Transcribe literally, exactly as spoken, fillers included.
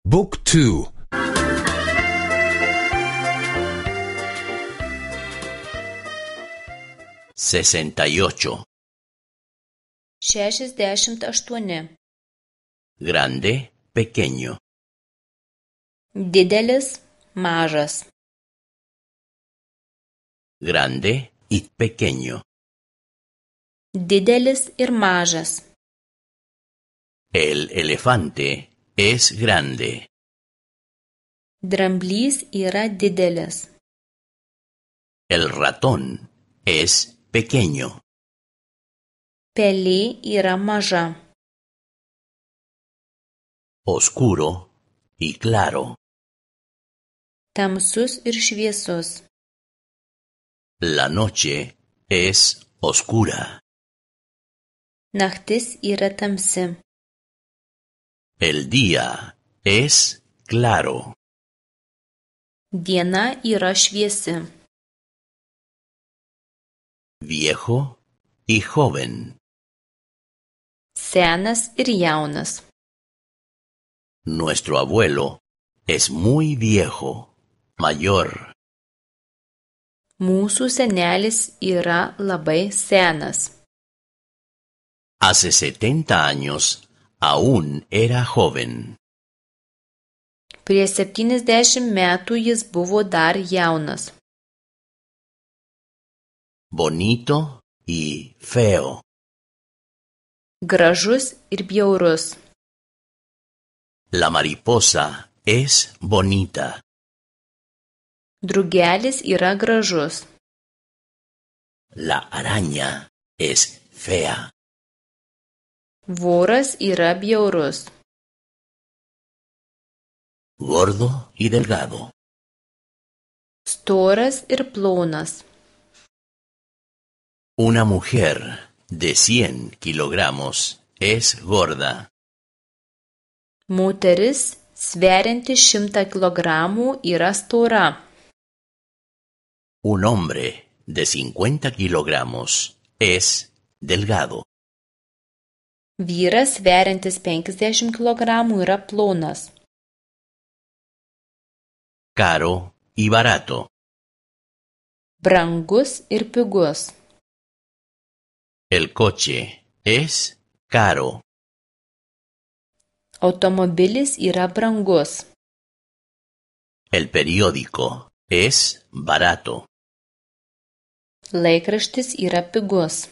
Book two. Sesenta y ocho. Šešiasdešimt aštuoni. Grande, pequeño. Didelis, mažas. Grande y pequeño. Didelis ir mažas. El elefante es grande. Dramblys yra didelis. El ratón es pequeño. Pelė yra maža. Oscuro y claro. Tamsus ir šviesus. La noche es oscura. Naktis yra tamsi. El día es claro. Diena yra šviesi. Viejo y joven. Senas ir jaunas. Nuestro abuelo es muy viejo, mayor. Mūsų senelis yra labai senas. Hace setenta años aún era joven. Prieš septyniasdešimt metų jis buvo dar jaunas. Bonito y feo. Gražus ir bjaurus. La mariposa es bonita. Drugelis yra gražus. La araña es fea. Voras yra bjaurus. Gordo y delgado. Storas ir plonas. Una mujer de cien kilogramos es gorda. Moteris, sverianti šimtą kilogramų, yra stora. Un hombre de cincuenta kilogramos es delgado. Vyras, sveriantis penkiasdešimt kilogramų, yra plonas. Caro y barato. Brangus ir pigus. El coche es caro. Automobilis yra brangus. El periódico es barato. Laikraštis yra pigus.